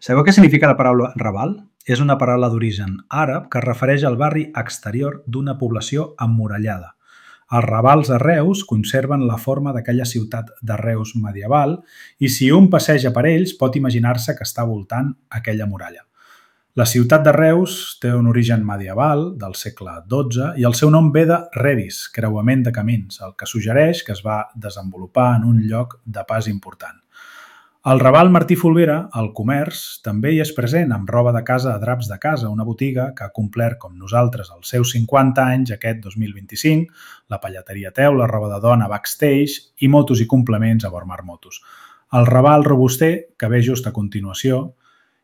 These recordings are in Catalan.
Sabeu què significa la paraula Raval? És una paraula d'origen àrab que es refereix al barri exterior d'una població emmurallada. Els ravals a Reus conserven la forma d'aquella ciutat de Reus medieval i si un passeja per ells pot imaginar-se que està voltant aquella muralla. La ciutat de Reus té un origen medieval del segle XII i el seu nom ve de Rebis, creuament de camins, el que suggereix que es va desenvolupar en un lloc de pas important. Al Raval Martí Folguera, el comerç també hi és present amb roba de casa a Draps de Casa, una botiga que ha complert com nosaltres els seus 50 anys aquest 2025, la pallateria Teu, la roba de dona Backstage i motos i complements a Bormar Motos. Al Raval Robuster, que ve just a continuació,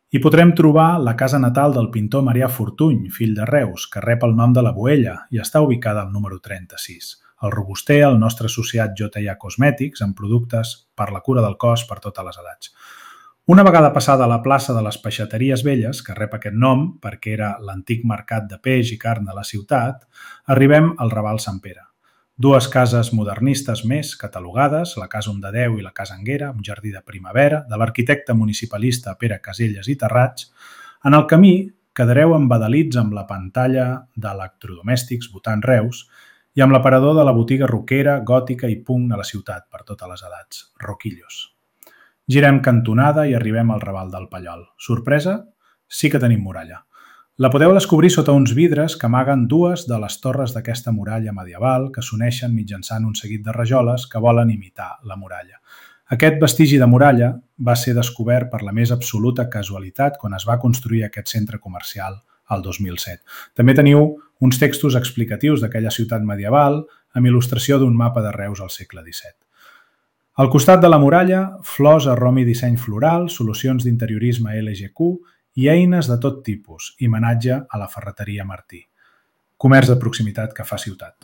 hi podrem trobar la casa natal del pintor Marià Fortuny, fill de Reus, que rep el nom de la Boella i està ubicada al número 36. El Robuster, el nostre associat J&A Cosmètics, amb productes per la cura del cos per totes les edats. Una vegada passada a la plaça de les Peixateries Velles, que rep aquest nom perquè era l'antic mercat de peix i carn de la ciutat, arribem al Raval Sant Pere. Dues cases modernistes més catalogades, la Casa Ondadeu i la Casa Anguera, amb jardí de primavera, de l'arquitecte municipalista Pere Caselles i Terrats. En el camí quedareu embadalits amb la pantalla d'electrodomèstics Votant Reus i amb l'aparador de la botiga roquera, gòtica i punk de la ciutat per totes les edats, Roquillos. Girem cantonada i arribem al Raval del Pallol. Sorpresa? Sí que tenim muralla. La podeu descobrir sota uns vidres que amaguen dues de les torres d'aquesta muralla medieval que s'uneixen mitjançant un seguit de rajoles que volen imitar la muralla. Aquest vestigi de muralla va ser descobert per la més absoluta casualitat quan es va construir aquest centre comercial al 2007. També teniu uns textos explicatius d'aquella ciutat medieval amb il·lustració d'un mapa de Reus al segle XVII. Al costat de la muralla, flors a rom i disseny floral, solucions d'interiorisme LGQ i eines de tot tipus, i homenatge a la ferreteria Martí. Comerç de proximitat que fa ciutat.